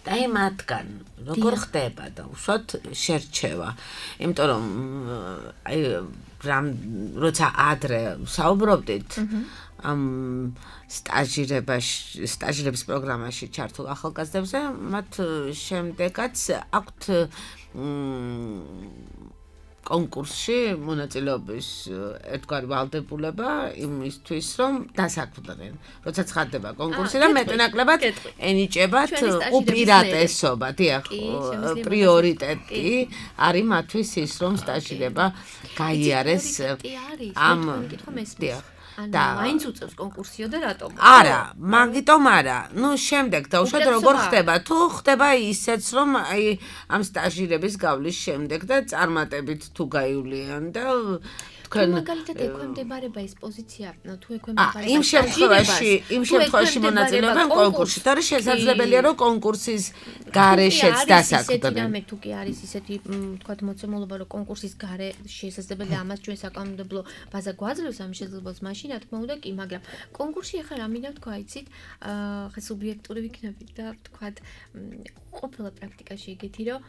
[SPEAKER 3] აი მათგან როგორ ხდება და უშუალოდ შერჩევა, იმიტომ რომ აი რამ როცა ადრე საუბრობდით ამ სტაჟირებაში, სტაჟირების პროგრამაში ჩართულ ახალგაზრდებზე, მათ შემდეგაც აქვთ კონკურსში მონაწილეობის ერთგვარი ვალდებულება იმისთვის, რომ დასაქმდნენ. როცა ცხადდება კონკურსი და მეტნაკლებად ენიჭებათ უპირატესობა, დიახ, პრიორიტეტი არის მათთვის ის, რომ სტაჟირება გაიარეს ამ დიახ.
[SPEAKER 5] და მაინც უწევს კონკურსიო და რატომ?
[SPEAKER 3] არა, მაგიტომ არა. ნუ შემდეგ და უშუალოდ როგორ ხდება? თუ ხდება ისეც, რომ აი ამ სტაჟირების გავლის შემდეგ და წარმატებით თუ გაივლიან და
[SPEAKER 5] თქვენ მაგალითად ექვემდებარება ეს პოზიცია, თუ ექვემდებარება
[SPEAKER 3] იმ შემთხვევაში, იმ შემთხვევაში მონაწილეობენ კონკურსში. თორე შესაძლებელია, რომ კონკურსის გარეშეც დასაქმდნენ.
[SPEAKER 5] მე თუ კი არის ისეთი, თქვათ, მოცემულობა, რომ კონკურსის გარე შესაძლებელია ამას ჩვენ საკანონმდებლო ბაზა გვაძლევს ამ შესაძლებლობას, მაშინ რა თქმა უნდა კი, მაგრამ კონკურსში ახლა რა მინდა თქვა, იცით, ხა სუბიექტური ვიქნებით და თქვათ, ყოფილა პრაქტიკაში იგეთი, რომ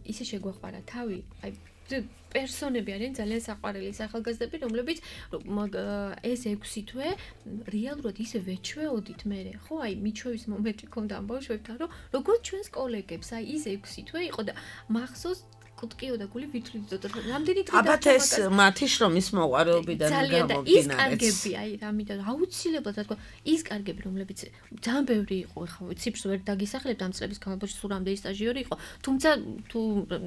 [SPEAKER 5] ისე შეგვაყვარა თავი, აი პერსონები არიან ძალიან საყვარელი ახალგაზრდები, რომლებიც ეს ექვსი თვე რეალურად ისე ვეჩვეოდით მე, ხო, აი მიჩვევის მომენტი ქონდა ამ ბავშვებთან, რომ როგორც ჩვენს კოლეგებს, აი ის ექვსი თვე იყო და მახსოვს კუტკიო და გული ვითვლიდოთ, რამდენი დღე
[SPEAKER 3] აბათ ეს მათი შრომის მოყვარეობიდან გამომდინარე.
[SPEAKER 5] ის კარგები, აი რამიდან აუცილებლად რა თქმა, ის კარგები, რომლებიც ძალიან ბევრი იყო, ხო, ციფრს ვერ დაგისახლებთ ამ წლების განმავლობაში სულ რამდენი სტაჟიორი იყო, თუმცა თუ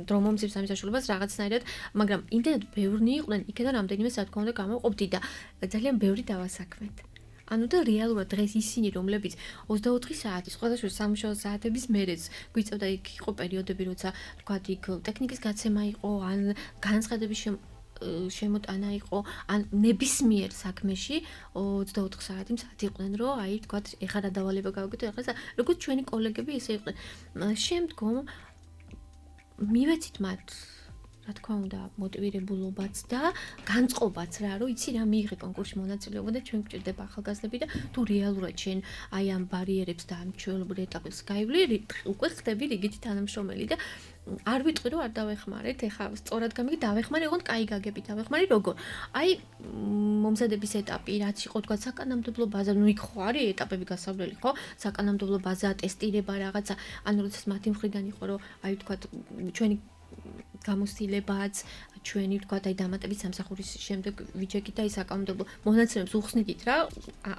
[SPEAKER 5] დრო მომწევს ამის საშუალებას რაღაცნაირად, მაგრამ იმდენად ბევრნი იყვნენ, იქიდან რამდენიმე რა თქმა უნდა გამოყოფდი და ძალიან ბევრი დავასაქმეთ. ანუ და რეალურად დღეს ისინი, რომლებიც ოცდაოთხი საათი, სხვადასხვა სამუშაო საათების მერეც გვიწევდა, იქ იყო პერიოდები, როცა თქვათ, იქ ტექნიკის გაცემა იყო, ან განცხადების შემოტანა იყო, ან ნებისმიერ საქმეში ოცდაოთხი საათი საათი იყვნენ, რომ აი თქვათ, ეხლა რა დავალება გავაკეთო, ეხლა როგორც ჩვენი კოლეგები ისე იყვნენ. შემდგომ მივეცით მათ რა თქმა უნდა, მოტივირებულობაც და განწყობაც რა, რომ იცი რა მიიღე კონკურსში მონაწილეობა და ჩვენ გვჭირდება ახალგაზრდები და თუ რეალურად შენ აი ამ ბარიერებს და ამ ჩვეულებრივ ეტაპებს გაივლი, უკვე ხდები რიგითი თანამშრომელი და არ ვიტყვი რომ არ დავეხმარეთ, ეხლა სწორად გამიგი დავეხმარე, ოღონდ კაი გაგები დავეხმარე როგორ? აი მომზადების ეტაპი, რაც იყო თქვა საკანონმდებლო ბაზა, ნუ იქ ხო არის ეტაპები გასავლელი, ხო? საკანონმდებლო ბაზა, ტესტირება რაღაცა, ანუ როდესაც მათი მხრიდან იყო რომ აი თქვა ჩვენი გამოცდილებაც ჩვენი ვთქვათ აი დამატებით სამსახურის შემდეგ ვიჩეკით და ის საკანონმდებლო მონაცემებს უხსნიდით რა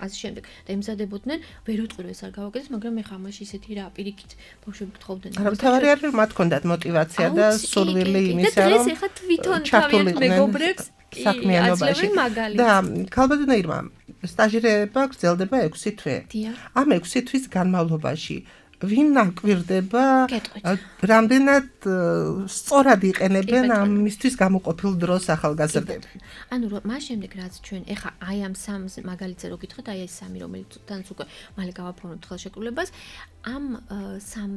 [SPEAKER 5] ასე შემდეგ და იმზადებოდნენ ვერ ვიტყვი რომ ეს არ გავაკეთეს მაგრამ მე ხამაში ისეთი რა პირიქით ბავშვები გთხოვდნენ
[SPEAKER 4] არა თავარი არის რომ მათ ჰქონდათ мотиваცია და სურვილი იმისა რომ
[SPEAKER 5] და ეს ახლა თვითონ თავიანთ მეგობრებს
[SPEAKER 4] საქმიანობაში და ქალბატონო ირმა სტაჟირება გრძელდება ექვსი თვე ამ ექვსი თვის განმავლობაში ვინ ნაკვირდება რამდენად სწორად იყენებენ ამისთვის გამოყოფილ დროს ახალგაზრდები.
[SPEAKER 5] ანუ მას შემდეგ რაც ჩვენ ეხა აი ამ სამ მაგალითზე რო გითხოთ, აი ეს სამი რომელიც თანაც უკვე მალე გავაფორმებთ ხელშეკრულებას, ამ სამ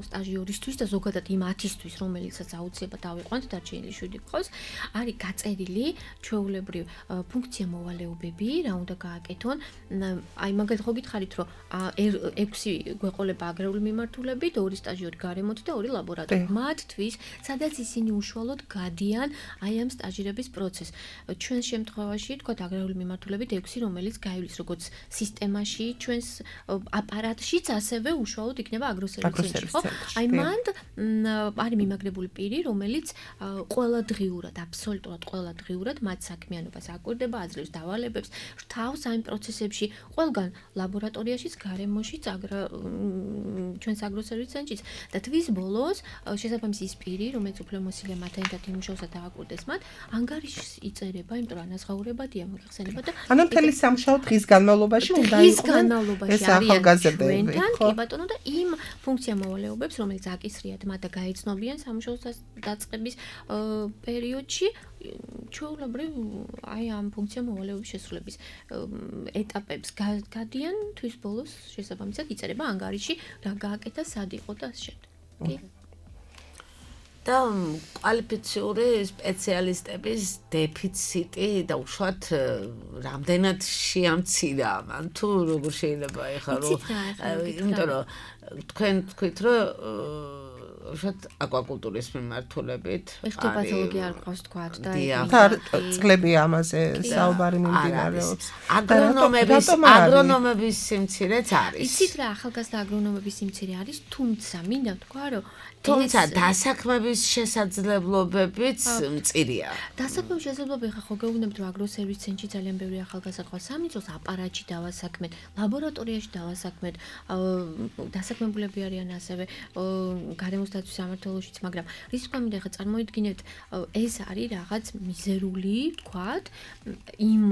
[SPEAKER 5] სტაჟიორისთვის და ზოგადად იმ ათისთვის, რომელიცაც აუცილებლად ავიყვანთ დარჩენილი შვიდი გყავს, არის გაწერილი ჩვეულებრივ ფუნქცია მოვალეობები, რა უნდა გააკეთონ. აი მაგალითად ხო გითხარით, რომ ექვსი გვეყოლება აგრარული მიმართულებით, ორი სტაჟიორი გარემოთ და ორი ლაბორატორი. მათთვის, სადაც ისინი უშუალოდ გადიან აი ამ სტაჟირების პროცესს. ჩვენს შემთხვევაში, თქვათ აგრარული მიმართულებით ექვსი, რომელიც გაივლის როგორც სისტემაში, ჩვენს აპარატშიც ასევე უშუალოდ იქნება აგროსერვისის ცენტრი, ხო? აი მანდ არის მიმაგრებული პირი, რომელიც ყველა დღიურად, აბსოლუტურად ყველა დღიურად მათ საქმიანობას აკვირდება, აძლევს დავალებებს, რთავს ამ პროცესებში, ყველგან ლაბორატორიაშიც, გარემოშიც, ჩვენს აგროსერვისის ცენტრშიც და თვის ბოლოს შესაბამისი ის პირი, რომელიც უფრო მოსილია მათთან ერთად იმუშაოს და დააკვირდეს მათ, ანგარიშს იწერება, იმიტომ რომ ანაზღაურებადია მოიხსენება და
[SPEAKER 4] ანუ მთელი სამუშაო დღის განმავლობაში უნდა
[SPEAKER 5] იყვნენ ეს
[SPEAKER 4] ახალგაზრდები.
[SPEAKER 5] კი ბატონო და იმ ფუნქცია მოვალეობებს, რომელიც აკისრიათ მათ და გაიცნობიან სამუშაოს დაწყების პერიოდში, ჩვეულებრივ აი ამ ფუნქცია მოვალეობის შესრულების ეტაპებს გადიან, თვის ბოლოს შესაბამისად იწერება ანგარიში, რა გააკეთა, სად იყო და ასე შემდეგ. კი.
[SPEAKER 3] და კვალიფიციური სპეციალისტების დეფიციტი და უშუალოდ რამდენად შეამცირა მან თუ როგორ შეიძლება ეხლა რომ იმიტომ რომ თქვენ თქვით რომ უშუალოდ აკვაკულტურის მიმართულებით
[SPEAKER 5] ეხლა პათოლოგია არ ყავს თქვათ და
[SPEAKER 4] წყლები ამაზე საუბარი მიმდინარეობს.
[SPEAKER 3] აგრონომების აგრონომების სიმცირეც არის.
[SPEAKER 5] იცით რა ახალგაზრდა აგრონომების სიმცირე არის, თუმცა მინდა თქვა რომ
[SPEAKER 3] თუმცა დასაქმების შესაძლებლობებიც მწირია.
[SPEAKER 5] დასაქმების შესაძლებლობები ხა ხო გეუბნებთ რომ აგროსერვისის ცენტრში ძალიან ბევრი ახალგაზრდა ყავს, სამიწოს აპარატში დავასაქმეთ, ლაბორატორიაში დავასაქმეთ, დასაქმებულები არიან ასევე გარემოს დაცვის სამმართველოშიც, მაგრამ რის თქმა უნდა ხა წარმოიდგინეთ ეს არის რაღაც მიზერული, თქვათ, იმ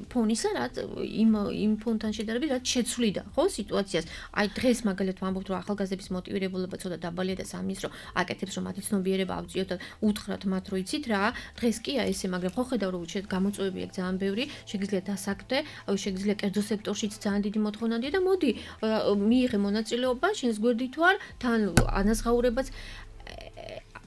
[SPEAKER 5] ფონისა, რაც იმ იმ ფონთან შედარებით რაც შეცვლიდა, ხო, სიტუაციას. აი დღეს მაგალითად ვამბობთ რომ ახალგაზრდების მოტივირებულობა და დაბალია და სამის რომ აკეთებს რომ მათი ცნობიერება ავწიოთ და უთხრათ მათ რომ იცით რა დღეს კია ესე მაგრამ ხო ხედავ რომ გამოწვევები აქვს ძალიან ბევრი შეგიძლიათ დასაქმდე შეგიძლიათ კერძო სექტორშიც ძალიან დიდი მოთხოვნადია და მოდი მიიღე მონაწილეობა შენს გვერდით თუ არ თან ანაზღაურებაც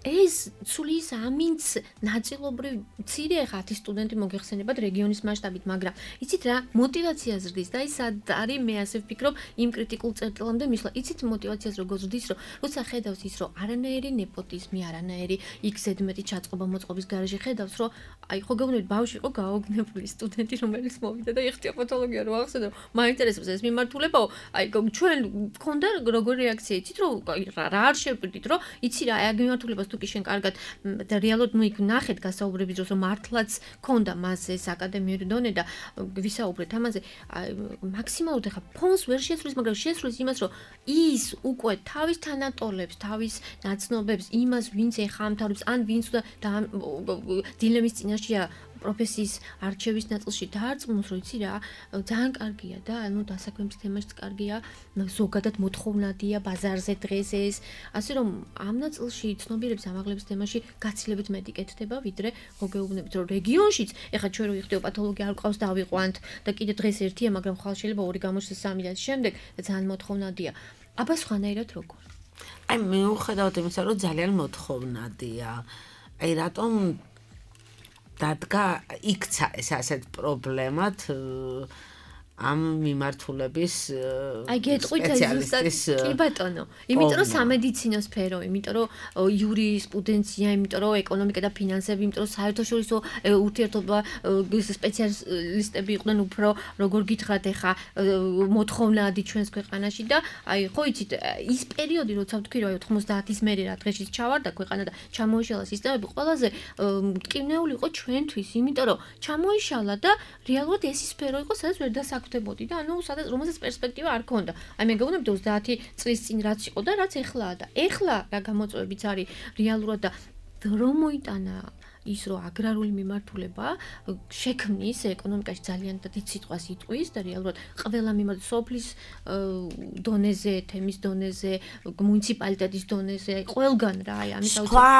[SPEAKER 5] ეს ცulis ამინც ნაწილობრივ მცირე ხა ათი სტუდენტი მოგეხსენებათ რეგიონის მასშტაბით, მაგრამ იცით რა მოტივაცია ზრდის და ის არის მე ასე ვფიქრობ იმ კრიტიკულ წერტილამდე მისვლა. იცით მოტივაციას როგორ ზრდის, რომ როცა ხედავს ის რომ არანაირი nepotizmi, არანაირი იქ ზედმეტი ჩაწყობა მოწყობის garaჟი ხედავს, რომ აი ხო გეუბნებით ბავშვი იყო გაოგნებული სტუდენტი, რომელიც მოვიდა და ეხტია პათოლოგია რო ახსენე, მაინტერესებს ეს მიმართულებაო, აი ჩვენ გქონდა როგორი რეაქცია, იცით რომ რა არ შევპირდით, რომ იცი რა აი მიმართულებას თუ კი შენ კარგად და რეალურად ნუ იქ ნახეთ გასაუბრების დროს რომ მართლაც ქონდა მას ეს აკადემიური დონე და ვისაუბრეთ ამაზე მაქსიმალურად ახლა ფონს ვერ შეცვლის, მაგრამ შეცვლის იმას რომ ის უკვე თავის თანატოლებს, თავის ნაცნობებს, იმას ვინც ეხამთავრებს ან ვინც და დილემის წინაშეა პროფესიის არჩევის ნაწილში დაარწმუნოს, რომ იცი რა, ძალიან კარგია და ანუ დასაქმების თემაშიც კარგია, ზოგადად მოთხოვნადია ბაზარზე დღეს ეს, ასე რომ ამ ნაწილში ცნობიერების ამაღლების თემაში გაცილებით მეტი კეთდება, ვიდრე ხო გეუბნებით, რომ რეგიონშიც, ეხლა ჩვენ რო იხდიო პათოლოგია არ ყავს დავიყვანთ და კიდე დღეს ერთია, მაგრამ ხვალ შეიძლება ორი გამოჩნდეს სამი და შემდეგ და ძალიან მოთხოვნადია. აბა სხვანაირად როგორ?
[SPEAKER 3] აი მიუხედავად იმისა, რომ ძალიან მოთხოვნადია, აი რატომ დადგა იქცა ეს ასეთ პრობლემად ამ მიმართულების
[SPEAKER 5] აი გეტყვით ზუსტად კი ბატონო, იმიტომ რომ სამედიცინო სფერო, იმიტომ რომ იურისპრუდენცია, იმიტომ რომ ეკონომიკა და ფინანსები, იმიტომ რომ საერთაშორისო ურთიერთობა სპეციალისტები იყვნენ უფრო როგორ გითხრათ ეხა მოთხოვნადი ჩვენს ქვეყანაში და აი ხო იცით ის პერიოდი როცა ვთქვი რომ ოთხმოცდაათის მერე რა დღეშიც ჩავარდა ქვეყანა და ჩამოიშალა სისტემები, ყველაზე მტკივნეული იყო ჩვენთვის, იმიტომ რომ ჩამოიშალა და რეალურად ეს სფერო იყო სადაც ვერ დასაქმდა ხდებოდი და ანუ სადაც რომელსაც პერსპექტივა არ ქონდა. აი მე გეუბნები ოცდაათი წლის წინ რაც იყო და რაც ეხლაა და ეხლა რა გამოწვევებიც არის რეალურად და რომ მოიტანა ის რომ აგრარული მიმართულება შექმნის ეკონომიკაში ძალიან დიდ სიტყვას იტყვის და რეალურად ყველა მიმართ სოფლის დონეზე, თემის დონეზე, მუნიციპალიტეტის დონეზე, ყველგან რა, აი ამის
[SPEAKER 3] აუცილებლად. სხვა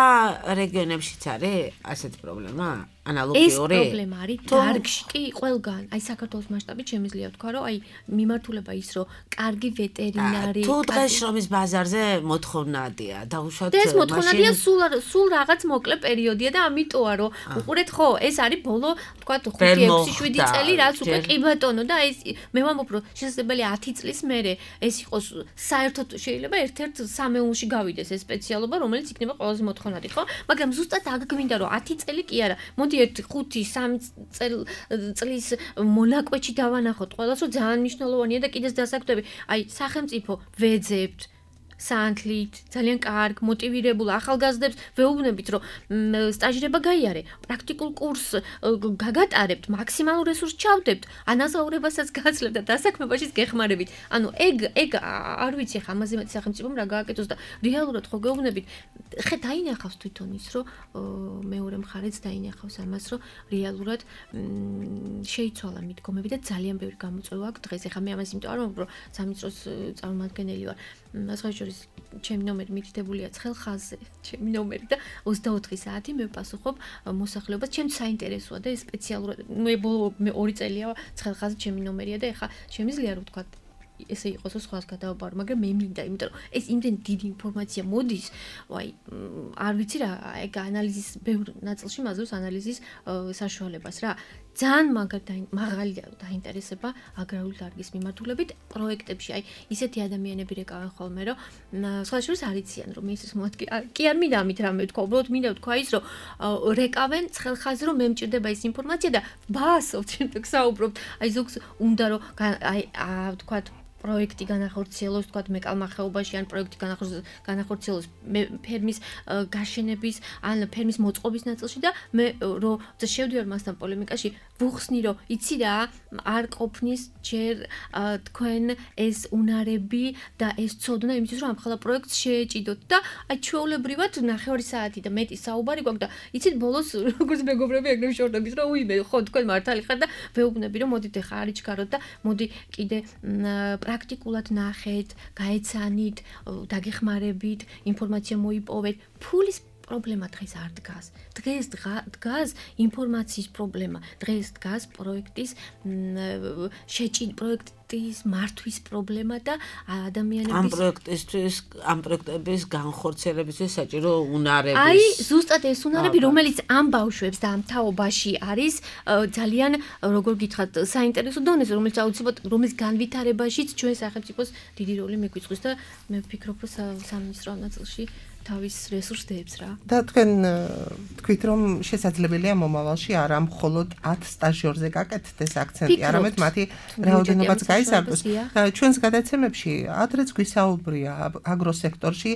[SPEAKER 3] რეგიონებშიც არის ასეთი პრობლემა? ანალოგიური.
[SPEAKER 5] ეს პრობლემა არის დარგში კი ყველგან. აი საქართველოს მასშტაბით შემიძლია ვთქვა, რომ აი მიმართულება ის, რომ კარგი ვეტერინარი,
[SPEAKER 3] თუ დღეს შრომის ბაზარზე მოთხოვნადია, დაუშვათ
[SPEAKER 5] მაშინ ეს მოთხოვნადია სულ სულ რაღაც მოკლე პერიოდია და ამიტოა, რომ უყურეთ ხო, ეს არის ბოლო, თქვა ხუთი ექვსი შვიდი წელი, რაც უკვე კი ბატონო და ეს მე ვამბობ, რომ შესაძლებელია ათი წლის მერე ეს იყოს საერთოდ შეიძლება ერთ-ერთ სამეულში გავიდეს ეს სპეციალობა, რომელიც იქნება ყველაზე მოთხოვნადი, ხო? მაგრამ ზუსტად აქ გვინდა რომ ათი წელი კი არა. მოდი ერთ ხუთი სამი წლის მონაკვეთში დავანახოთ ყველას, რომ ძალიან მნიშვნელოვანია და კიდეც დასაკვირვებელი. აი, სახელმწიფო ვეძებთ სანთლით, ძალიან კარგ, მოტივირებულ ახალგაზრდებს ვეუბნებით, რომ სტაჟირება გაიარე, პრაქტიკულ კურსს გაგატარებთ, მაქსიმალურ რესურსს ჩავდებთ, ანაზაურებასაც გაცლებთ და დასაქმებაშიც გეხმარებით. ანუ ეგ ეგ არ ვიცი ხა ამაზე მეტი სახელმწიფომ რა გააკეთოს და რეალურად ხო გეუბნებით, ხე დაინახავს თვითონ ის, რომ მეორე მხარეც დაინახავს ამას, რომ რეალურად შეიცვალა მიდგომები და ძალიან ბევრი გამოწვევა აქვს დღეს. ეხა მე ამას იმიტომ არ ვამბობ, რომ სამინისტროს წარმომადგენელი ვარ. ასღაჟორის ჩემი ნომერი მითითებულია ცხელხაზზე, ჩემი ნომერი და ოცდაოთხი საათი მე ვპასუხობ მოსახლეობას, ჩემს საინტერესოა და ეს სპეციალურად მე ბოლო მე ორი წელია ცხელხაზზე ჩემი ნომერია და ეხა შემიძლია რომ ვთქვა ესე იყოს რომ სხვას გადავაბარო, მაგრამ მე მინდა, იმიტომ რომ ეს იმდენ დიდი ინფორმაცია მოდის, ვაი, არ ვიცი რა, ეგ ანალიზის ბევრ ნაწილში მაძლევს ანალიზის საშუალებას რა. ძალიან მაღალია დაინტერესება აგრარული დარგის მიმართულებით პროექტებში. აი, ისეთი ადამიანები რეკავენ ხოლმე, რომ სხვა შორის არ იციან, რომ მინისტრის მოადგე კი არ მინდა ამით რამე ვთქვა, უბრალოდ მინდა ვთქვა ის, რომ რეკავენ ცხელხაზზე, რომ მე მჭირდება ეს ინფორმაცია და ბაასობთ, შემდეგ საუბრობთ. აი, ზოგს უნდა რომ აი, ვთქვა პროექტი განახორციელოს, თქვათ მეკალმახეობაში ან პროექტი განახორციელოს ფერმის გაშენების ან ფერმის მოწყობის ნაწილში და მე რომ შევდივარ მასთან პოლემიკაში, ვუხსნი რომ იცი რა, არ ყოფნის ჯერ თქვენ ეს უნარები და ეს ცოდნა იმისთვის რომ ამხელა პროექტს შეეჭიდოთ და აი ჩვეულებრივად ნახევარი საათი და მეტი საუბარი გვაქვს და იცით ბოლოს როგორც მეგობრები ეგრევე შორდებით რომ უიმე ხო თქვენ მართალი ხარ და ვეუბნები რომ მოდით ახლა არიჩქაროთ და მოდი კიდე პრაქტიკულად ნახეთ, გაეცანით, დაგეხმარებით, ინფორმაცია მოიპოვეთ. ფულის პრობლემა დღეს არ დგას. დღეს დგას ინფორმაციის პრობლემა. დღეს დგას პროექტის შეჭიდ პროექტის მართვის პრობლემა და ადამიანების
[SPEAKER 3] ამ პროექტისთვის, ამ პროექტების განხორციელებისთვის საჭირო უნარების.
[SPEAKER 5] აი, ზუსტად ეს უნარები, რომელიც ამ ბავშვებს და ამ თაობაში არის ძალიან, როგორ გითხრათ, საინტერესო დონეზე, რომელიც აუცილებლად რომელიც განვითარებაშიც ჩვენ სახელმწიფოს დიდი როლი მიგვიწვის და მე ვფიქრობ, რომ სამინისტრო ნაწილში თავის რესურსებს რა.
[SPEAKER 4] და თქვენ თქვით რომ შესაძლებელია მომავალში არა მხოლოდ ათ სტაჟიორზე გაკეთდეს აქცენტი, არამედ მათი რაოდენობაც გაიზარდოს. ჩვენს გადაცემებში ადრეც გვისაუბრია აგროსექტორში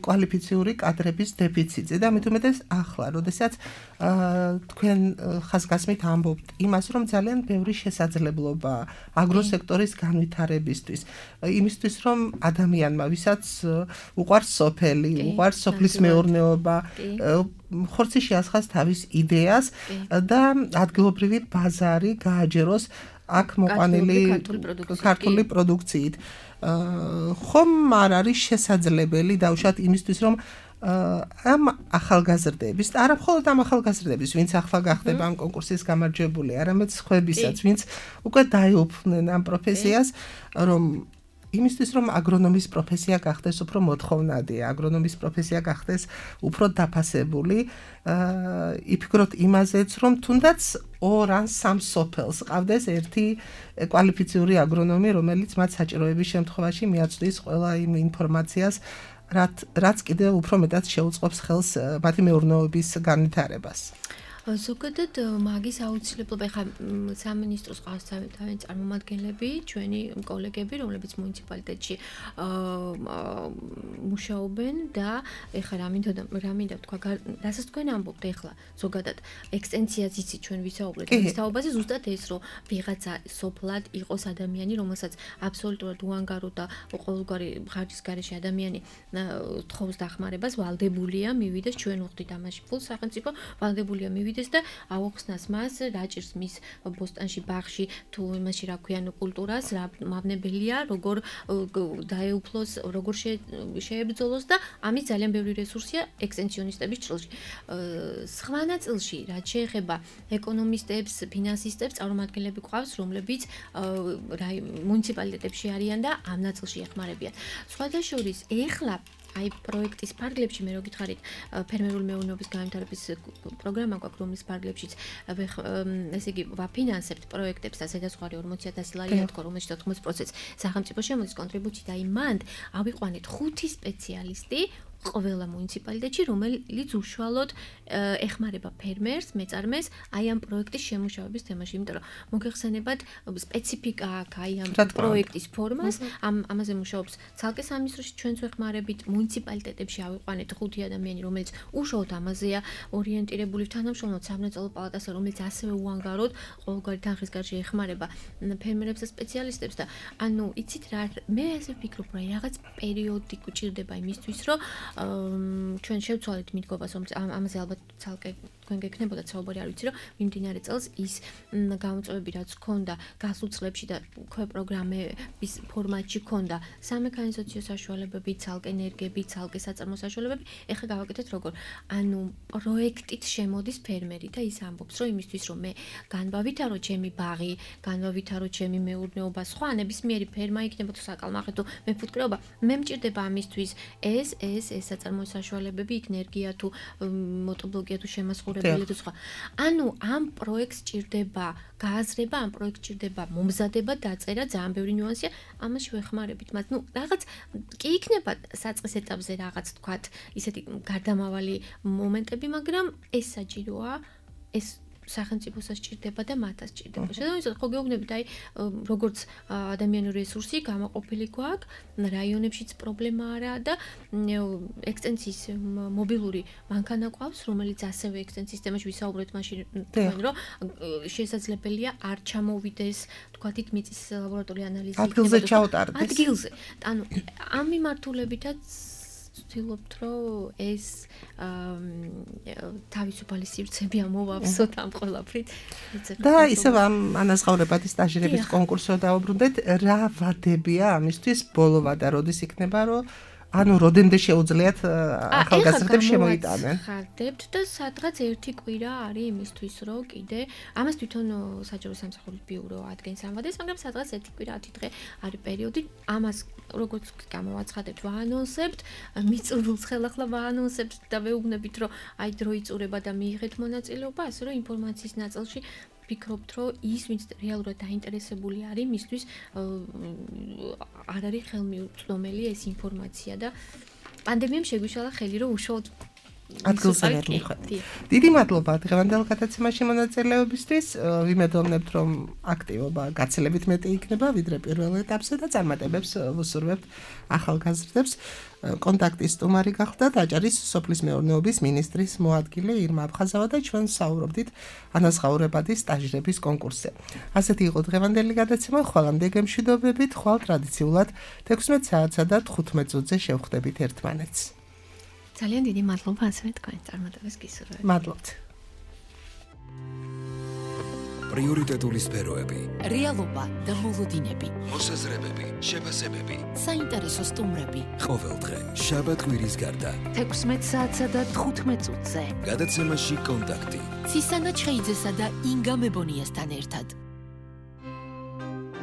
[SPEAKER 4] კვალიფიციური კადრების დეფიციტზე და მით უმეტეს ახლა, როდესაც თქვენ ხაზგასმით ამბობთ იმას, რომ ძალიან ბევრი შესაძლებლობა აგროსექტორის განვითარებისთვის, იმისთვის რომ ადამიანმა, ვისაც უყვარს სოფელი, უყვარს სოფლის მეურნეობა, ხორცი შეასხას თავის იდეას და ადგილობრივი ბაზარი გააჯეროს აქ მოყვანილი ქართული პროდუქციით. ხომ არ არის შესაძლებელი დაუშვათ იმისთვის, რომ ამ ახალგაზრდების, არა მხოლოდ ამ ახალგაზრდების, ვინც ახლა გახდება ამ კონკურსის გამარჯვებული, არამედ სხვებისაც, ვინც უკვე დაეუფლნენ ამ პროფესიას, რომ იმისთვის რომ აგრონომის პროფესია გახდეს უფრო მოთხოვნადი, აგრონომის პროფესია გახდეს უფრო დაფასებული, იფიქროთ იმაზეც, რომ თუნდაც ორ ან სამ სოფელს ყავდეს ერთი კვალიფიციური აგრონომი, რომელიც მათ საჭიროების შემთხვევაში მიაწვდის ყველა იმ ინფორმაციას, რაც კიდევ უფრო მეტად შეუწყობს ხელს მათი მეურნეობის განვითარებას.
[SPEAKER 5] ზოგადად მაგის აუცილებლობა ხა სამინისტროს ყავს თავენ წარმომადგენლები, ჩვენი კოლეგები, რომლებიც მუნიციპალიტეტში მუშაობენ და ეხლა რა მინდა რა მინდა თქვა, რასაც თქვენ ამბობთ ეხლა ზოგადად ექსტენციაც იცი ჩვენ ვისაუბრეთ ამ თაობაზე, ზუსტად ეს რომ ვიღაცა სოფლად იყოს ადამიანი, რომელსაც აბსოლუტურად უანგარო და ყოველგვარი ხარჯის გარეშე ადამიანი თხოვს დახმარებას, ვალდებულია მივიდეს, ჩვენ ვხდით ამაში ფულს სახელმწიფო, ვალდებულია მივიდეს და აუხსნას მას, რაჭირს მის ბოსტანში, ბაღში, თუ იმაში რა ქვია, კულტურას, რა მავნებელია, როგორ დაეუფლოს, როგორ შეებრძოლოს და ამის ძალიან ბევრი რესურსია ექსტენსიონისტების ჭრილში. სხვა ნაწილში, რაც შეეხება ეკონომისტებს, ფინანსისტებს, წარმომადგენლები ყავს, რომლებიც მუნიციპალიტეტებში არიან და ამ ნაწილში ეხმარებიან. სხვათა შორის, ეხლა აი პროექტის ფარგლებში მე რო გითხარით ფერმერული მეურნეობის განვითარების პროგრამა გვაქვს, რომლის ფარგლებშიც ესე იგი ვაფინანსებთ პროექტებს და ზედაზღვარი ორმოცი ათასი ლარია თქო, რომელშიც ოთხმოცი პროცენტი სახელმწიფო შემოდის კონტრიბუცია და აი მანდ ავიყვანეთ ხუთი სპეციალისტი ყველა მუნიციპალიტეტში, რომელიც უშუალოდ ეხმარება ფერმერს, მეწარმეს აი ამ პროექტის შემუშავების თემაში, იმიტომ რომ მოგეხსენებათ სპეციფიკა აქვს აი ამ პროექტის ფორმას, ამ ამაზე მუშაობს ცალკე სამინისტროში, ჩვენც ვეხმარებით მუნიციპალიტეტებში ავიყვანეთ ხუთი ადამიანი, რომელიც უშუალოდ ამაზეა ორიენტირებული, თანამშრომლობთ სამრეწველო პალატასთან, რომელიც ასევე უანგაროდ ყოველგვარი თანხის გარშე ეხმარება ფერმერებს და სპეციალისტებს და ანუ იცით რა, მე ასე ვფიქრობ, რომ რაღაც პერიოდი გვჭირდება იმისთვის, რომ ჩვენ შევცვალეთ მიდგობას, რომ ამაზე ალბათ ცალკე თქვენ გეკნებოდათ საუბარი, არ ვიცი, რომ მიმდინარე წელს ის გამოწვევები, რაც ჰქონდა გასულ წლებში და უკვე პროგრამების ფორმატში ჰქონდა სამექანიზაციო საშუალებები, ცალკე ენერგიები, ცალკე საწარმო საშუალებები, ეხლა გავაკეთეთ როგორ. ანუ პროექტით შემოდის ფერმერი და ის ამბობს, რომ იმისთვის, რომ მე განვავითარო ჩემი ბაღი, განვავითარო ჩემი მეურნეობა, სხვა ნებისმიერი ფერმა იქნება თუ საკალმახე თუ მეფუტკრეობა, მე მჭირდება ამისთვის ეს, ეს, ეს საწარმო საშუალებები, ენერგია თუ მოტორბლოკია თუ შემასხურებელი თუ სხვა. ანუ ამ პროექტს ჭირდება გააზრება, ამ პროექტს ჭირდება მომზადება, დაწერა, ძალიან ბევრი ნიუანსია, ამაში ვეხმარებით მათ. ნუ რაღაც კი იქნება საწყის ეტაპზე რაღაც თქვათ, ისეთი გარდამავალი მომენტები, მაგრამ ეს საჭიროა, ეს სახელმწიფოსაც ჭირდება და მათაც ჭირდება. შესაბამისად, ხო გეუბნებით, აი როგორც ადამიანური რესურსი გამოყოფილი გვაქვს, რაიონებშიც პრობლემა არა და ექსტენსიის მობილური მანქანა ყავს, რომელიც ასევე ექსტენსიის თემაში ვისაუბრეთ მაშინ თქვენ, რომ შესაძლებელია არ ჩამოვიდეს, თქვათით მიწის ლაბორატორიული ანალიზი
[SPEAKER 4] ადგილზე ჩაუტარდეს.
[SPEAKER 5] ადგილზე. ანუ ამ მიმართულებითაც ვცდილობთ, რომ ეს თავისუფალი სივრცეები ამოვავსოთ ამ ყველაფრით.
[SPEAKER 4] და ისევ ამ ანაზღაურებადი სტაჟირების კონკურსზე დავუბრუნდეთ, რა ვადებია ამისთვის ბოლო ვადა როდის იქნება, რომ ანუ როდემდე შეუძლიათ ახალგაზრდებს შემოიტანენ.
[SPEAKER 5] ხარდებთ და სადღაც ერთი კვირა არის იმისთვის, რომ კიდე ამას თვითონ საჯარო სამსახურის ბიურო ადგენს ამ ვადას, მაგრამ სადღაც ერთი კვირა ათი დღე არის პერიოდი. ამას როგორც გამოვაცხადებთ, ვაანონსებთ, მიწურულს ხელახლა ვაანონსებთ და ვეუბნებით, რომ აი დრო იწურება და მიიღეთ მონაწილეობა, ასე რომ ინფორმაციის ნაწილში ვფიქრობთ, რომ ის, ვინც რეალურად დაინტერესებული არის, მისთვის არ არის ხელმიუწვდომელი ეს ინფორმაცია და პანდემიამ შეგვიშალა ხელი, რომ უშუალოდ
[SPEAKER 4] ადგილზე მივხვდეთ. დიდი მადლობა დღევანდელ გადაცემაში მონაწილეობისთვის. ვიმედოვნებთ, რომ აქტივობა გაცილებით მეტი იქნება, ვიდრე პირველ ეტაპზე და წარმატებებს ვუსურვებთ ახალგაზრდებს. კონტაქტის სტუმარი გახდათ აჭარის სოფლის მეურნეობის მინისტრის მოადგილე ირმა აფხაზავა და ჩვენ საუბრობდით ანაზღაურებადი სტაჟირების კონკურსზე. ასეთი იყო დღევანდელი გადაცემა, ხვალამდე გემშვიდობებით, ხვალ ტრადიციულად თექვსმეტ საათსა და თხუთმეტ წუთზე შევხვდებით ერთმანეთს.
[SPEAKER 5] ძალიან დიდი მადლობა ასევე თქვენ წარმატებას გისურვებთ.
[SPEAKER 4] მადლობთ.
[SPEAKER 1] პრიორიტეტული სფეროები,
[SPEAKER 2] რეალობა და მოლოდინები,
[SPEAKER 1] მოსაზრებები, შეფასებები,
[SPEAKER 2] საინტერესო სტუმრები.
[SPEAKER 1] ყოველდღე შაბათ კვირის გარდა
[SPEAKER 2] თექვსმეტ საათსა და თხუთმეტ წუთზე.
[SPEAKER 1] გადაცემაში კონტაქტი.
[SPEAKER 2] ცისანა ჩხეიძესა და ინგა მებონიასთან ერთად.